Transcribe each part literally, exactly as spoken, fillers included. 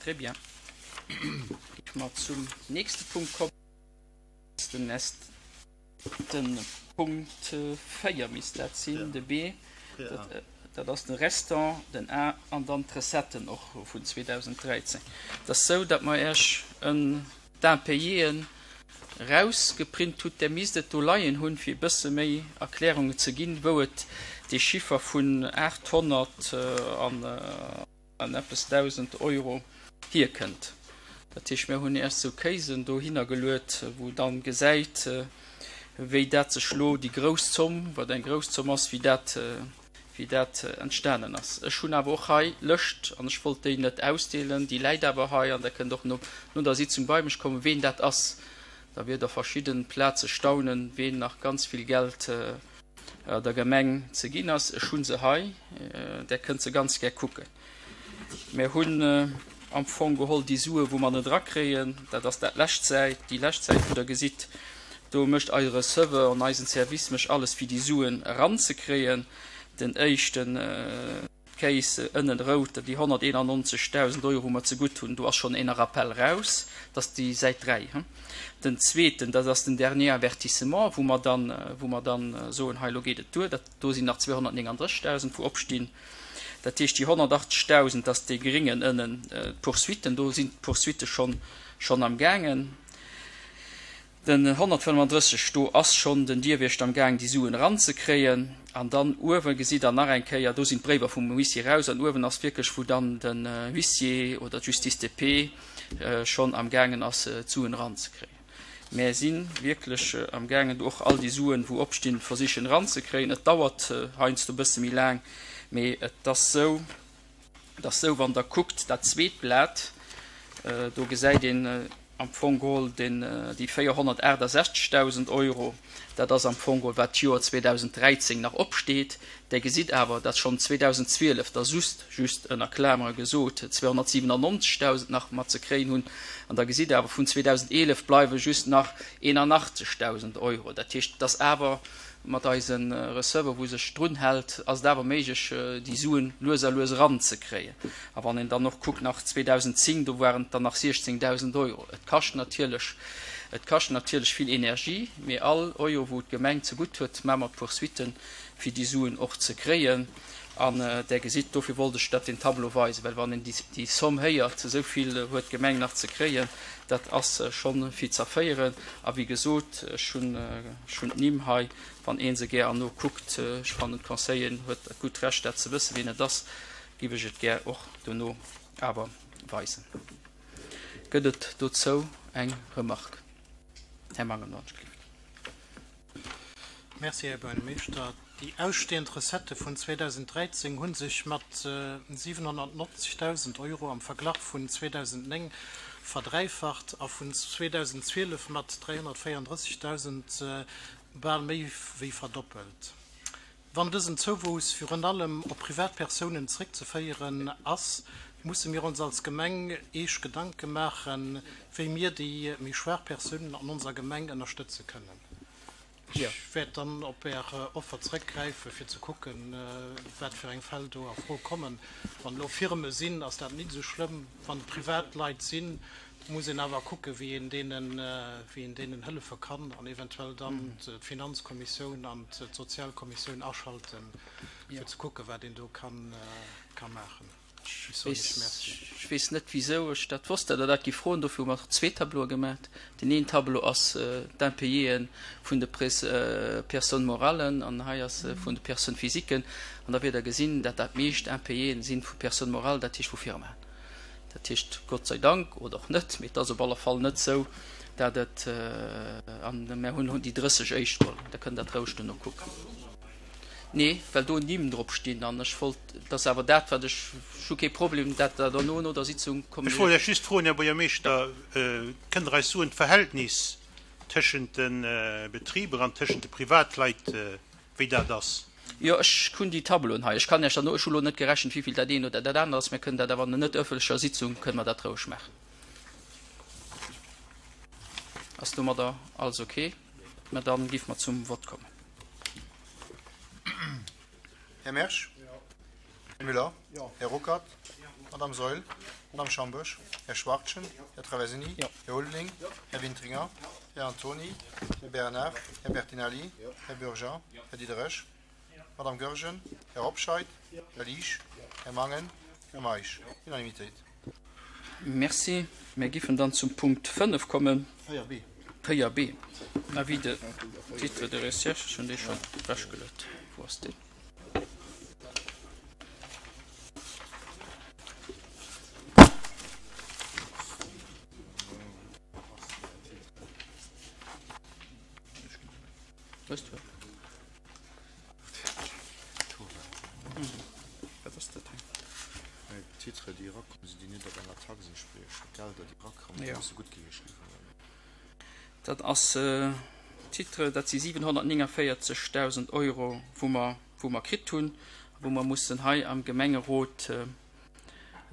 Très bien. Géife mer zum nächste Punkt kommen, den den Punkt véier misst dat sinn, de B, dat ass de Restant, den A an dann d'Recetten och vun zweedausenddräizéng. Et ass esou, datt mer Iech en d'Impayéen erausgeprint hutt. Där misst et do leien hunn, fir e bësse méi Erklärungen ze ginn, wou et dee Chiffer vun aathonnert an an eppes Dausend Euro hierkënnt. Dat heescht, mir hunn erst esou Casen dohinner geluet, wou dann gesäit, wéi dat sech elo, déi grouss Zomm, wat eng grouss Zomm ass, wéi dat, wéi dat entstanen ass. Ech hunn awer och hei Lëscht, an ech wollt déi net ausdeelen, déi läit awer hei, an Der kënnt och no, no der Sitzung bei mech kommen, ween dat ass. Da wiert Der verschidde Plaze staunen, ween nach ganz vill Geld der Gemeng ze ginn ass. Ech hu se hei, Der kënnt se ganz gär kucken. Mir hunn am Fong geholl déi Sue wou mer net erakréien, dat ass dat lescht Säit, déi lescht Säit wou Der gesitt, do mécht eise Receveur an eisen Service mécht alles fir déi Suen eranzekréien. Den éischten d'Case ënnen rout, déi honnerteenannonzegdausend Euro wou mer zegutt hunn, do ass schonn een Rappel raus, dat ass déi Säit dräi. Den zweeten, dat ass den dernier Avertissement, wou mer dann, wou mer dann soen, hei elo geet et duer, dat do sinn nach zweehonnertnénganddrëssigdausend wou opstinn. Dat heescht déi honnertachtzegdausend, dat ass dee gréngen ënnen, d'Poursuitten, do sinn d'Poursuitte schonn, schonn am gaangen. Den honnertfënnefandrësseg, do ass schonn den Dierwiechter am gaang déi Suen eranzekréien. An dann uewe gesitt Der nach eng Kéier, do sinn d'Bréiwer vum Huissier raus an uewen ass wierklech wou dann den Huissier oder d'Justice de paix schonn am gaangen ass d'Suen eranzekréien. Mär si wierklech am gaangen do och all déi Suen wou opstinn versichen eranzekréien. Et dauert heiansdo e bësse méi laang, mee et ass sou, et ass sou, wann Der kuckt dat zweet Blat, do gesäit een am Fong geholl den, déi véierhonnertaachtasechzegdausend Euro, dat ass am Fong geholl wat d'Joer zweedausenddräizéng nach opsteet. Där gesitt awer, datt schonn zweedausendzwielef der just, just ënner Klamere gesot, zweehonnertsiwenannonzegdausend nach mat ze kréien hunn. An da gesitt Der awer, vun zweedausendeelef bleiwe just nach eenanachtzegdausend Euro. Dat heescht, et ass awer mat eise Receveur, wou sech drun hält, ass et awer méiglech, déi Suen lues a lues eranzekréien. A wann een dann och kuckt nach zweedausendzéng, do waren et dann nach siechzéngdausend Euro. Et kascht natierlech, et kascht natierlech vill Energie, mee all Euro, wou d'Gemeng zegutt huet, maache mer d'Poursuitten, fir déi Suen och ze kréien. An Der gesitt, dofir wollt ech dat den Tableau weisen, well wann een déi Somm héiert, esou vill huet d'Gemeng nach ze kréien, dat ass schonn fir z'erféieren. A wéi gesot, ech hunn d'Nimm hei, wann ee se gär erno kuckt. Ech fannen, d'Conseilleren huet dat gutt Recht, dat ze wëssen, wien et ass, giff ech et gär och dono awer weisen. Gëtt et dozou eng Remarque? Här Mangen, wann ech gelift. Merci, Här Buergermeeschter. Déi ausstehend Recettë vun zweedausenddräizéng hu sech mat siwenhonnertneunzegdausend Euro am Verglach vun zweedausenddnéng verdräifacht a vun zweedausendzwielef mat dräihonnertvéierunddrëssigdausend bal méi wéi verdoppelt. Wann dësen Zouwuuss virun allem op Privatpersounen zréckzeféieren ass, musse mir ons als Gemeng eescht Gedanke maachen, wéi mir déi méi schwaach Persounen an onser Gemeng ënnerstëtze kënnen. Ech wäert dann op Är Offer zréckgräifen, fir ze kucken, wat fir eng Fäll do a Fro kommen. Wann elo Firme sinn, ass dat nit esou schlëmm. Wann et Privatleit sinn, muss een awer kucken, wéi een deenen, wéi een deenen hëllefe kann an eventuell dann d'Finanzkommissioun an d'Sozialkommissioun aschalten, fir ze kucken, wat een do ka maachen. Ech weess net, wisou ech dat wosst, datt Der dat giff froen. Dofir hu mer zwee Tableaue gemaat. Den een Tableau ass d'Impayéë vun de Personnes morales an hei ass e vun de Personnes physiques. An da wäert Der gesinn, datt dat meescht Impayéë si vu Personnes morales, dat heescht vu Firmaen. Dat heescht, Gott sei Dank oder och net, mee et ass op alle Fall net esou, datt et, an mer hunn déi drësseg éischt geholl, Der kënnt dat roueg duerno kucken. Nee, well do Nimm drop stinn an ech wollt, dat ass awer dat, wat ech, ech hu kee Problem, dat Der derno no der Sitzung Ech wollt Iech just froen, Här Buergermeeschter, kënnt Der eis soen, d'Verhältnis tëschent de Betriber an tëschent de Privatleit, wéi dat ass? Jo, ech hunn déi Tableauen hei. Ech kann Iech derno, ech hu lo net gerechent, wéivill dat eent oder dat anert ass. Mir kënnen dat awer an der net ëffentlecher Sitzung kënne mer dat roueg maachen. Ass domadder alles ok? Mä dann géife mer zum Vott kommen. Här Mersch? Här Müller? Här Ruckert? Madame Saeul. Madame Schambourg. Här Schwachtgen. Här Traversini. Här Ulveling. Här Wintringer. Här Antoni. Här Bernard. Här Bertinelli. Här Bürger. Här Diderich. Madame Goergen. Här Hobscheit. Här Liesch. Här Mangen. Här Meisch. Unanimitéit. Merci. Mir giffen dann zum Punkt fënnef kommen. Véier B. Véier B. Avis de titre de recherche, ech hunn dee schonn ewechgeluet. Wou ass deen? Hues du en? Wat ass dat hei? D'Titre, déi erakommen, sinn déi net op enger Tax entspriechen. D'Gelder, déi erakommen, déi musse guttgeheescht ginn vun der. Dat ass Titre, dat si siwenhonnertnénganvéierzegdausend Euro, wou mer, wou mer kritt hunn a wou mer mussen hei am Gemengerot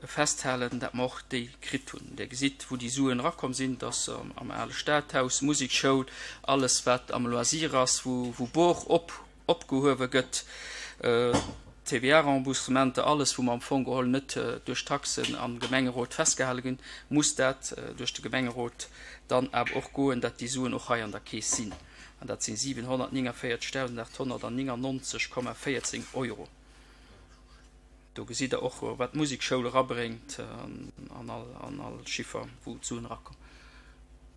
festhalen, dat mer och déi kritt hunn. Dir gesitt, wou déi Suen erakomm sinn, dat ass am ale Stadhaus, Musekschoul, alles wat am Loisir ass, wou, wou Bor op, opgehuewe gëtt, T V A-Remboursementer, alles wou mer am Fong geholl net duerch Taxen am Gemengerot festgehale ginn, muss dat duerch de Gemengerot dann awer och goen, dat déi Suen och hei an der Keess sinn. An dat sinn siwenhonnertnénganvéierzegdausendachthonnertnénganonzeg Komma véierzéng Euro. Do gesitt Der och, wat d'Musekschoul erabréngt an all, an all Chiffer, wou d'Suen erakommen.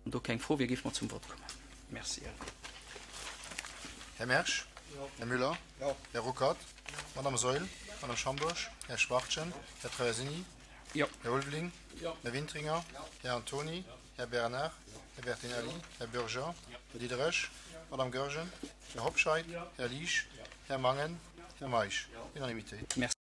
Wann do keng Fro wier, géife mer zum Vott kommen. Merci. Här Mersch. Här Müller. Här Ruckert. Madame Saeul. Madame Schambourg. Här Schwachtgen. Här Traversini. Här Ulveling. Här Wintringer. Här Antoni. Här Bernard. Här Bertinelli. Här Bürger. Här Diderich. Madame Goergen. Här Hobscheit. Här Liesch. Här Mangen. Här Meisch. Unanimité. Merci.